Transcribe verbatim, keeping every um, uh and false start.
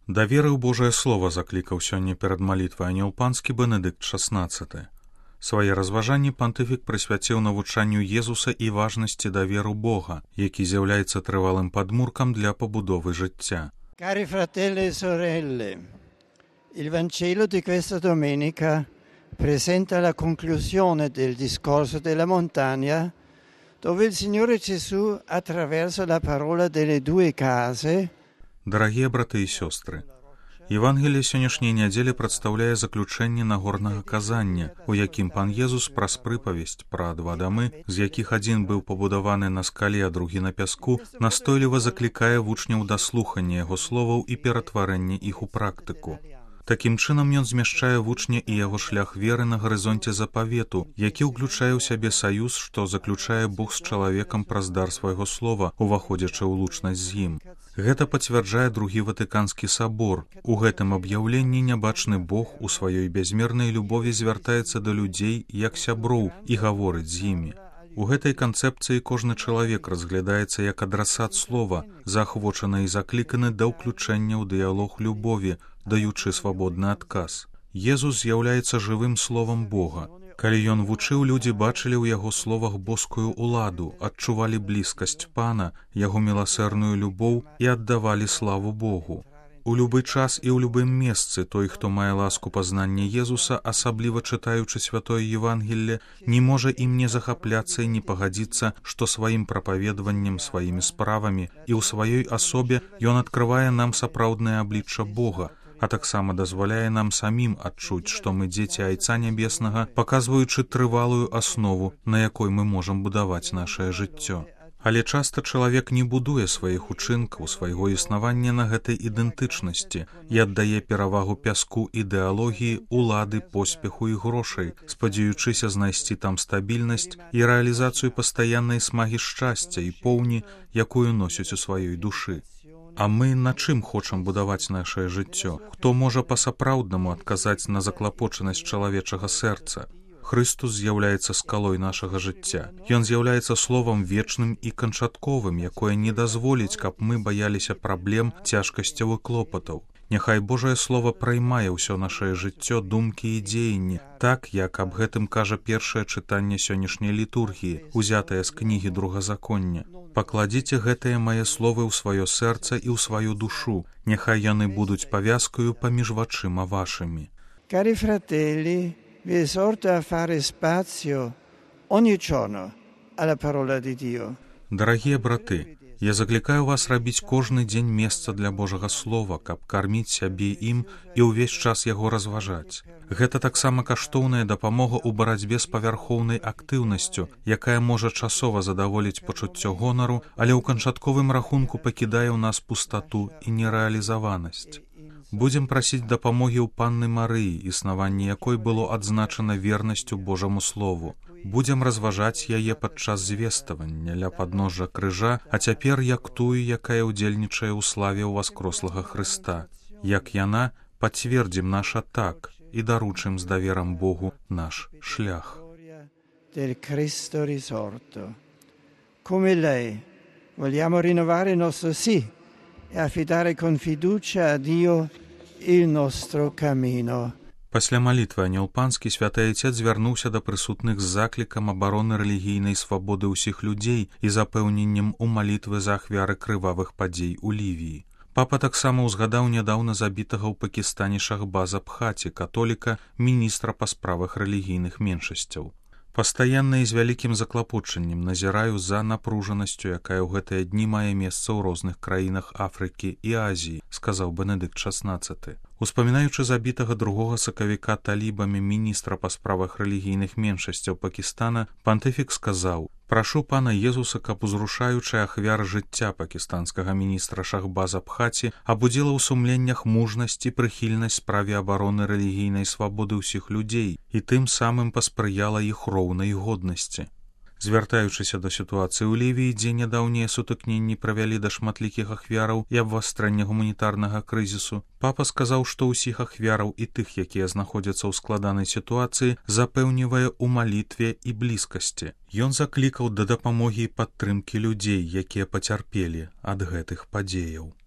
Да веры ў Божае Слова заклікаў сёння перад малітвай анёл панскі Бенедыкт шаснаццаты. Свае разважанні пантыфік прысвяціў навучанню Езуса і важнасці даверу Бога, які з'яўляецца трывалым падмуркам для пабудовы жыцця. Cari fratelli e sorelle, il Vangelo di questa domenica presenta la conclusione del discorso della montagna, dove il Signore Gesù, attraverso la parola delle due case, Дарагія браты і сёстры, Евангелие сённяшняй нядзелі прадстаўляе заключэнне нагорнага казання, у якім пан Езус праз прыпавесць пра два дамы, з якіх адзін быў пабудаваны на скале, а другі на пяску, настойліва заклікае вучняў да слухання яго словаў і ператварэння іх у практыку. Такім чынам ён змяшчае вучня і яго шлях веры на гарызонце запавету, які ўключае ў сябе саюз, што заключае Бог з чалавекам праз дар свайго слова, уваходзячы ў лучнасць з ім. Гэта пацвярджае другі Ватыканскі сабор. У гэтым аб'яўленні нябачны Бог у сваёй бязмернай любові звяртаецца да людзей як сяброў і гаворыць з імі. У гэтай канцэпцыі кожны чалавек разглядаецца як адрасат слова, заахвочаны і закліканы да ўключэння ў дыялог любові, даючы свабодны адказ. Езус з'яўляецца жывым словам Бога. Калі ён вучыў, людзі бачылі ў яго словах боскую ўладу, адчувалі блізкасць пана, яго міласэрную любоў і аддавалі славу Богу. У любы час і ў любым месцы той, хто мае ласку пазнання Езуса, асабліва чытаючы святое Евангелле, не можа ім не захапляцца і не пагадзіцца, што сваім прапаведваннем, сваімі справамі і ў сваёй асобе ён адкрывае нам сапраўднае аблічча Бога, а таксама дазваляе нам самім адчуць, што мы дзеці Айца Нябеснага, паказваючы трывалую аснову, на якой мы можам будаваць нашае жыццё. Але часта чалавек не будуе сваіх учынкаў, свайго існавання на гэтай ідэнтычнасці і аддае перавагу пяску ідэалогіі, улады, поспеху і грошай, спадзяючыся знайсці там стабільнасць і рэалізацыю пастаяннай смагі шчасця і поўні, якую носяць у сваёй душы. А мы на чым хочам будаваць нашае жыццё? Хто можа па-сапраўднаму адказаць на заклапочанасць чалавечага сэрца? Хрыстус з'яўляецца скалой нашага жыцця. Ён з'яўляецца словам вечным і канчатковым, якое не дазволіць, каб мы баяліся праблем, цяжкасцяў і клопатаў. Няхай Божае Слово праймае ўсё нашае жыццё, думкі і дзеянні, так, як аб гэтым кажа першае чытанне сённяшняй літургіі, узятае з кнігі Другазаконня. Пакладзіце гэтыя мае словы ў сваё сэрца і ў сваю душу, няхай яны будуць павязкаю паміж вачыма вашымі. Cari fratelli, vi esorto a fare spazio ogni giorno alla parola di Dio. Дарагія браты, я заклікаю вас рабіць кожны дзень месца для Божага Слова, каб карміць сябе ім і ўвесь час яго разважаць. Гэта таксама каштоўная дапамога ў барацьбе з павярхоўнай актыўнасцю, якая можа часова задаволіць пачуццё гонару, але ў канчатковым рахунку пакідае ў нас пустату і нерэалізаванасць. Будзем прасіць дапамогі ў панны Марыі, існаванне якой было адзначана вернасцю Божаму Слову. Будзем разважаць яе падчас звеставання ля падножжа крыжа, а цяпер як тую, якая ўдзельнічае ў славе ўваскрослага Хрыста. Як яна, пацвердзім наша так і даручым з даверам Богу наш шлях. Del Cristo risorto. Come lei, vogliamo rinnovare il nostro sì e affidare con fiducia a Dio il nostro cammino. Пасля малітвы анёл панскі святы Айцец звярнуўся да прысутных з заклікам абароны рэлігійнай свабоды ўсіх людзей і запэўненнем у малітвы за ахвяры крывавых падзей у Лівіі. Папа таксама ўзгадаў нядаўна забітага ў Пакістане Шахбаза Бхаці, католіка, міністра па справах рэлігійных меншасцяў. Пастаянна і з вялікім заклапочаннем назіраю за напружанасцю, якая ў гэтыя дні мае месца ў розных краінах Афрыкі і Азіі, сказаў Бенедыкт шаснаццаты. Успамінаючы забітага другога сакавіка талібамі міністра па справах рэлігійных меншасцяў Пакістана, пантыфік сказаў: «Прашу пана Езуса, каб узрушаючы ахвяр жыцця пакістанскага міністра Шахбаза Бхаці абудзіла ў сумленнях мужнасць і прыхільнасць справе абароны рэлігійнай свабоды ўсіх людзей і тым самым паспрыяла іх роўнай годнасці». Звяртаючыся да сітуацыі ў Лівіі, дзе нядаўнія сутыкненні правялі да шматлікіх ахвяраў і абвастрэння гуманітарнага крызісу, папа сказаў, што ўсіх ахвяраў і тых, якія знаходзяцца ў складанай сітуацыі, запэўнівае ў малітве і блізкасці. Ён заклікаў да дапамогі і падтрымкі людзей, якія пацярпелі ад гэтых падзеяў.